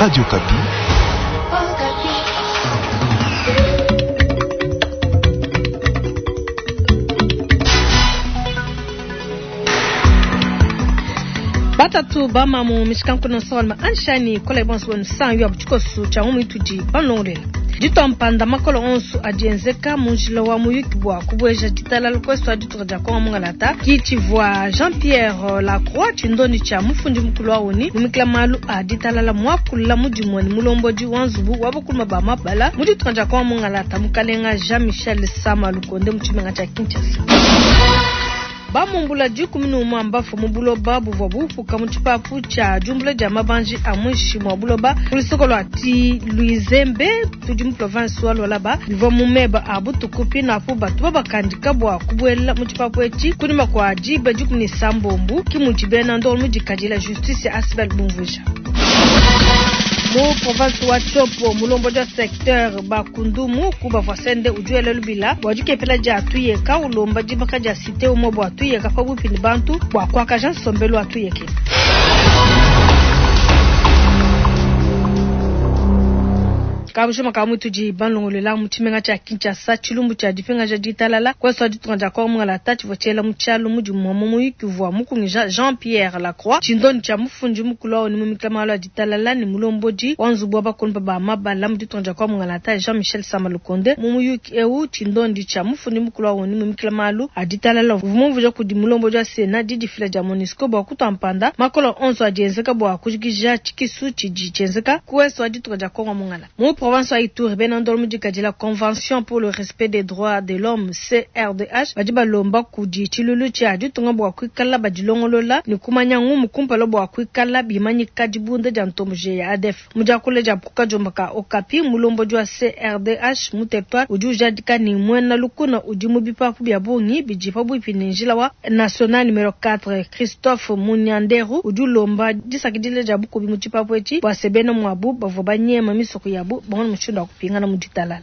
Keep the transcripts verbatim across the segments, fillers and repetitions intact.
Radio Okapi. Batatu bamamu mishikankuno solma anshani kola bonso bonu san yo butikosu cha mu itudi banlonglela ditwa makolo onso adienzeka munjila wa muyuki bwa kubweja ditalala kwesu adituka dia kongo mungalata kitshivua Jean-Pierre Lacroix tshindoni tshia mufundi mukulu wa oni mumikila malu a ditalala muakulula mudimue ne mulombodi wa nzubu wa bakuluma ba mabala mu dituka dia kongo mungalata mukalenga Jean-Michel Sama Lukonde mu tshimenga tshia Kinshasa. Bamumbula dikumi ne mbafu mu buloba buvua bufuka mu tshipapu tshia diumbula dia mabanji a muinshi mua buloba ku lusoko lua Tilwizembe tudi mu province wa Lualaba bivua mu meba a butuku pinapu batu babakandika bua kubuela mu tshipapu etshi kunyima kua diba dikumi ne sambombu ki mudi bena ndolo mudikadila justice ya Asbel Bumvuja. Mu province wa Tshopo mulombodi wa secteur Bakundumu kuba sende ujuele lubila bua dikepela dia tuyeka ulomba dibaka dia cité umwe bua tuyeka pabuipi ne bantu bua kuakaja nsombelu wa tuyeke. Kabushima ka mutudi banlongolela mu tshimenga tshia Kinshasa tshilumbu tshia dipingaja ditalala kwesu ditunga dia Kongo mungalata tshivua tshiela mu tshialu mudimu wa muyuki uvua mukungija Jean-Pierre Lacroix tshindoni tshia mufundi mukulu wa oni mumikila malu a ditalala ne mulombodi wa nzubu wa bakulumpa ba mabala mu ditunga dia Kongo mungalata Jean-Michel Sama Lukonde mu muyuki eu tshindondi tshia mufundi mukulu wa oni mumikila malu a ditalala uvua mumvuija kudi mulombodi wa Sena didifila dia MONUSCO bua kutua mpanda makolo onso adienzeka bua kujikija tshikisu tshidi tshienzeka kwesu ditunga dia Kongo mungalata. Mu province wa Ituri bena ndolo mudikadila Convention pour le respect des droits de l'homme C R D H badi balomba kudi tshilulu tshia ditunga bua kuikala badilongolola ne kumanya ngumu kumpala bua kuikala bimanyika dibunda dia ntomboji ya A D F. Mu diakula dia kukajomba ka Okapi mulombodi wa C R D H mu territoire udi ujadika ne muena lukuna udi mu bipapu bia bungi bidi pabuipi ne njila wa national numero quatre Christophe Munyanderu udi ulomba disakidila dia bukubi mu tshipapu etshi bua se bena muabu bavua banyema misoko yabu bamone mushindu wa kupingana mu ditalala.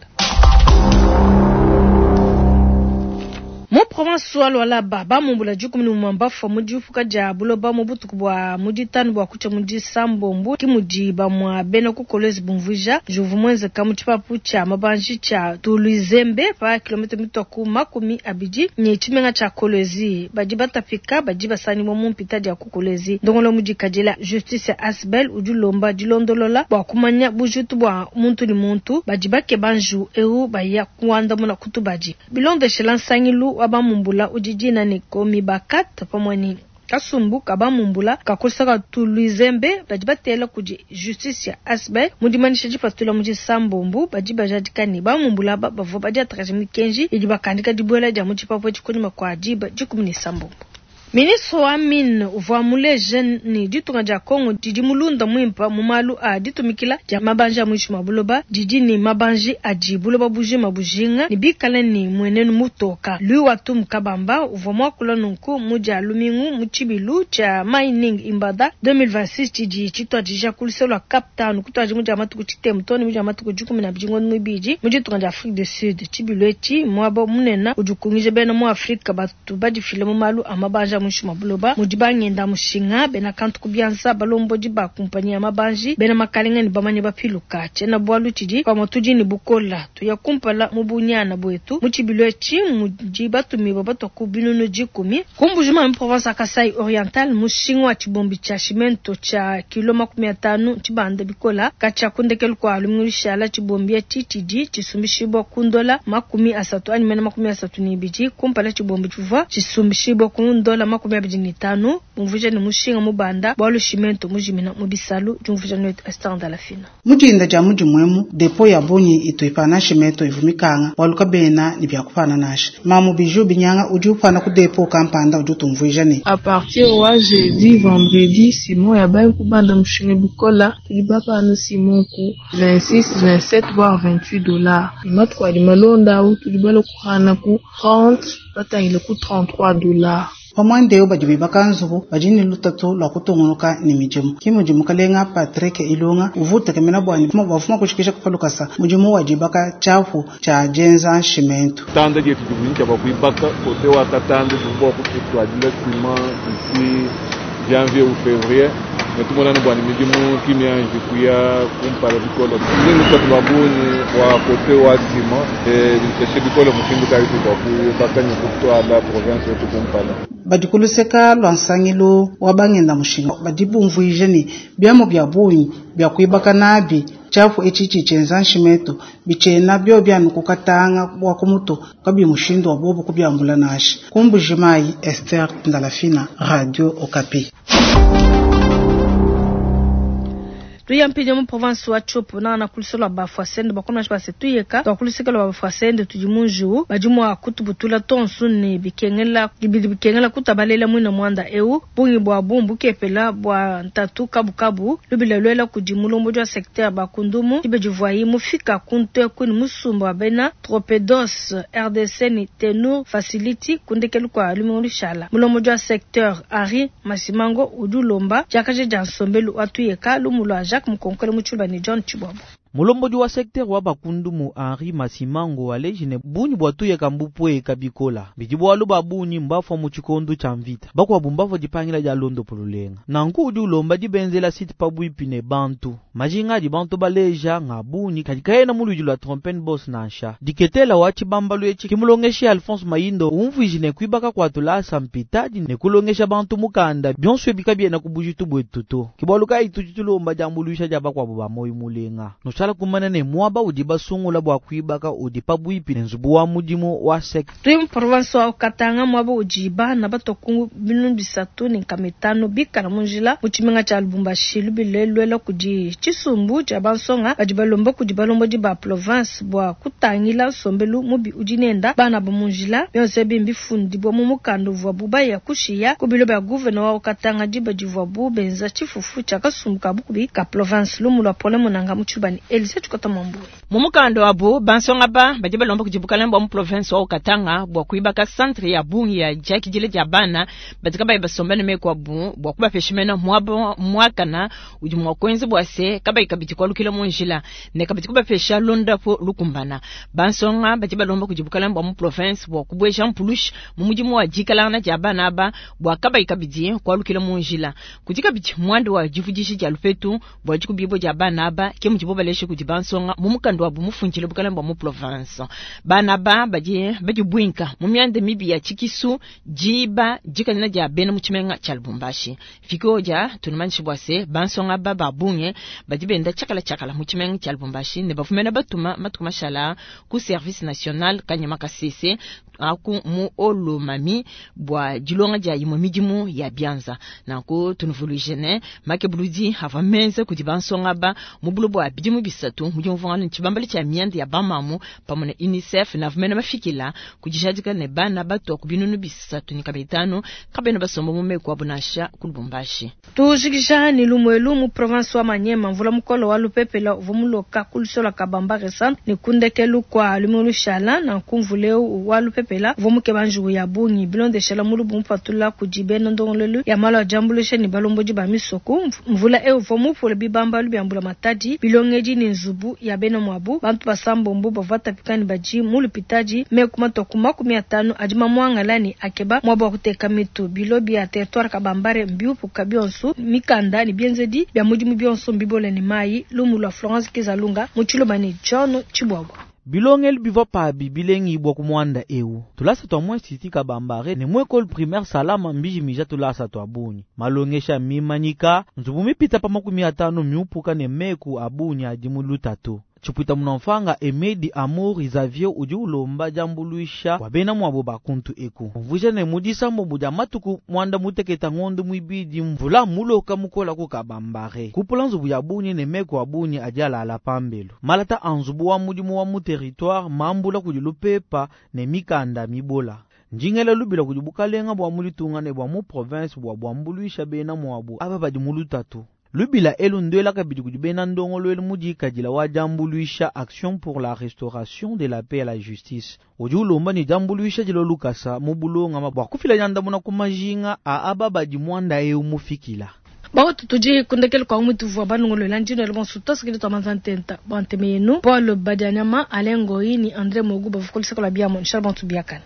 Mu province wa Lualaba bamumbula dikumi ne umue mbafua mu diupuka dia buloba mu butuku bua mu ditanu bua kutshia mu disambombo ki mudi bamua bena ku Kolwezi bumvuija juvu muenzeka mu tshipapu tshia mabanji tshia Tulwizembe pa kilomita mitua ku makumi abidi ne tshimenga tshia Kolwezi badi batapika badi basangibua mu mpita dia ku Kolwezi ndongolo mudikadila justice ya Asbel udi ulomba dilondolola bua kumanya bujitu bua muntu ne muntu badi bakeba nju eu baya kuandamuna kutubadi bilondeshela nsangilu wa bamumbula udi dina ne komi bakat pamwe ni kasumbu kabamumbula kakusaka Tulwizembe badi batela kudi justice ya Asbel mudimanisha dipatula mu disambombu badi bajadika ne bamumbula bavua badiatakaja mikenji idi bakandika dibuela dia mu tshipapu tshikunyima kua diba dikumi ne sambombu. Ministre wa mine uvua muleje ne ditunga dia Kongo didi mulunda muimpa mu malu a ditumikila dia mabanji a muinshi mua buloba didi ne mabanji adi buloba bujima bujinga ne bikale ne muenenu mutoka. Louis Watum Kabamba uvua muakula nunku mu dia lumingu mu tshibilu tshia Mining Imbada deux mille vingt-six tshidi tshituadija ku luseke lua Cape Town kutuadija mu dia matuku tshitemu too ne mu dia matuku dikumi na abidi ngondo muibidi mu ditunga dia Afrique du Sud. Tshibilu etshi muaba munene udi ukungija bena mu Afrika batu badifile mu malu a mabanji a muinshi mua buloba mudi bangenda mushinga bena kantu ku bianza balombodi ba kumpanyi ya mabanji bena makalenga ne bamanye bapiluka tshiena bualu tshidi pamue tudi ne bukola tuya kumpala mu bunyana buetu mu tshibilu etshi mudi batumibua batua ku binunu dikumi ku Mbuji-Mayi mu province ya Kasai Oriental mushinga wa tshibombi tshia cimento tshia kilo makumi atanu tshibanda bikola katshia kundekelu kua lumingu lushala tshibombi etshi tshidi tshisumbishibua ku ndola makumi asatu anyi mene makumi asatu ne ibidi kumpala tshibombi tshivua tshisumbishibua ku ndola makumi abidi ne tanu bumvuija ne mushinga mubanda bualu cimento mujimina mu bisalu diumvuija netu Esther Ndalafina. Mudinda dia mudimu depo ya bungi itu ipana cimento ivumikanga bualu kabena ne biakupana nasha mamu biju binyanga udi upana ku depo kampanda udi utumvuija ne a partir wa jeudi vendredi Simon ya bayi kubanda mushinga bikola tudi bapana Simon ku vingt-six vingt-sept voire vingt-huit dollars matuku adi malonda awu tudi bala kuhana ku trente batangile ku trente-trois dollars. Pamwande badi bibaka nzubu badi ne lutatu lwa kutungunuka ne midimu ki mudimu kalenga Patrick Ilunga uvuta kemena bwani bafuma kushikisha kupalukasa mudimu wa dibaka tshiapu tshia dienza cimento tanda dietu divunyika bua kuibaka kote wa katanda bua kututwadila ciment d'ici janvier ou février Ne tumona ne bua ne midimu ki mianji kuya kumpala bikole. Tudi ne lutatu lua bungi bua kote wa ciment biteshe bikole mushindu kayi bua kuibaka ne kutuala province wetu kumpala. Badi ku luseka lua nsangilu wa bangenda mushinga badi bumvuija ne biamu bia bungi bia kuibaka nabi tshiapu etshi tshitshienza nshimetu bitshiena bio bianu kukatanga bua kumutu kabi mushindu wa bobu kubiambula nashi. Ku Mbujimayi, Esther Ndalafina, Radio Okapi. Tuyampinye mu province wa Tshopo na na kulisolo bafwasende bakona base tuyeka twakulisekela bafwasende tudi munju badi mwa kutubutula tonsu ne bikengela bidi bikengela kutabalela mwina mwanda eu bungi bwa bumbu kepela bwa ntatu kabukabu lubila lwela kudi mulombo wa secteur bakundumu ibedivwayi mufika kuntwe kuni musumba wa bena Tropedos R D C ni Tenur Facility kundekelu kwa lumingu shala mulombo wa secteur Henri Masimango udulomba jakaje jansombelu watuyeka lumulwa Jacques Mukonkole Muchulba ni John Chibwabo. Mulombodi wa secteur wa bakundumu Henri Masimango alejine bunyi bwa tuyeka mbupwe kabikola bijibu aluba bunyi mbafwa mu chikondo cha mvita bakwa bumbafwa dipangila dia londo polulenga nanku udi ulomba dibenzela site pabwipi ne bantu majinga di bantu baleja nga bunyi kadikaena muludi lwa trompen boss nansha diketela wa chibambalu echi kimulongeshi Alphonse Mayindo umvwijine kuibaka kwa tulasa mpitadi ne kulongesha bantu mukanda bionso bikabiena kubujitu bwetuto kibwaluka itutulomba jambulusha ja bakwa ba moyo mulenga no kumana ne mwaba udi basungula bwa kuibaka udi pabwipi ne nzubu wa mudimu wa sek Tuyi province wa Katanga mwaba udi bana batokungu binu bisatu ne nkamitano bikala munjila mu tshimenga tshia Lubumbashi lubilelwela kudi tshisumbu tshia bansonga badi balomba kudi balombodi ba province bwa kutangila nsombelu mubi udi nenda bana ba munjila byonse bimbifundi bwa mu mukanda uvua bubaya kushiya ku bilo bya gouverneur wa Katanga diba divua bu benza tshifufu tshia kasumbu ka bukubi ka province lumu lwa Pole Munanga mu tshibani Elise Chikota Mambuwe. Mumukando wabo bansonga ba badi balomba kudi bukalenge bwa mu province wa Katanga bwa kuibaka centre ya bungi ya jakidile dia bana batika bayi basomba ne meko bu bwa kubapeshimena mwabo mwakana udi mwa kwenze bwa se kabayi kabiti kwalukila mu njila ne kabiti kubapesha londa po lukumbana bansonga badi balomba kudi bukalenge bwa mu province bwa kubweja mpulushi mu mudimu wa dikalana dia bana ba bwa kabayi kabiti kwalukila mu njila kudi kabiti mwando wa divudishi dia lupetu bwa dikubibo dia bana ba ke mudibo baleshe kudi bansonga mu mukando wa bumufunjile bukalenge bwa mu province bana ba badi badi bwinka mu myanda mibi ya chikisu jiba jikanina dia bena mu tshimenga tshia Lubumbashi fikoja tunumanyishi bwa se bansonga ba babunge badi benda tshakala tshakala mu tshimenga tshia Lubumbashi ne bafumena batuma matuku mashala ku service national kanyama kasese aku mu olomami bwa dilonga dia imwe midimu ya bianza nanku tunuvuluije ne makebuludi ava menze kudi bansonga ba mu bulo bwa bidimu bisatu mu diumvuangana tshibambali tshia myanda ya bamamu pamwe na UNICEF na vumena mafikila kudijadika ne bana bato ku binunu bisatu ni kabitano kabena basomba mu meko abo nasha ku Lubumbashi tujikisha ni lumwelu mu province wa Manyema mvula mukolo wa lupepela uvua muloka kulusola kabamba resant ni kundekelu kwa lumulu shala na kumvuleu wa lupepela uvua mukebanjugu ya bungi bilondeshela mulubu mupatula kudi bena ndongolelu ya malo ajambulusha ni balombodi ba misoko mvula eu uvua mupula bibambalu byambula matadi bilongedi ni nzubu ya bena mwabu bantu basambombo bavua tapikani baji mu lupitaji mekuma toku makumi atano adi mamwangala ni akeba mwabu wa kuteka mitu bilo bya territoire kabambare mbiupuka bionso mikanda ni bienzedi bya mudimu bionso mbibole ni mayi lumu lwa Florence Kizalunga mu Tshiluba ni John Chibwabwa. Bilongeli bivua pabi bilengi bwa kumwanda eu tulasa twa mwe siti kabambare ne mwe école primaire salama mbijimija tulasa twa bunyi malongesha mimanyika nzubu mipita pa makumi atano miupuka ne meku abunyi adi mu lutatu Chipwita munamfanga Emedi Amour Xavier udi ulomba jambuluisha wa bena mwabo bakuntu eku mvusha ne mudisa mbobu dia matuku mwanda muteketa ngondo mwibidi mvula muloka mukola ku kabambare kupula nzubu ya bunyi ne meko abunyi adi alala pambelu malata anzubu wa mudimu wa mu territoire mambula kudi lupepa ne mikanda mibola njingela lubila kudi bukalenga bwa mulitunga ne bwa mu province bwa bwambuluisha bena mwabo aba badi mu lutatu lubila elu ndwela kabidi kudi bena ndongolo elu mudikadila wa jambuluisha action pour la restauration de la paix et la justice udi ulomba ni jambuluisha dilo lukasa mu bulonga bwa kufila nyandamuna ku majinga a aba badi mwanda eu mufikila Baotu tudi kundekelu kwa umutu vwa banongolo njino ele bonsu tosikili twa manzantenta banteme yenu Paul Badianyama Alain Goyi ni André Mogu bavukolisa kola biamo nshala bantu biakana.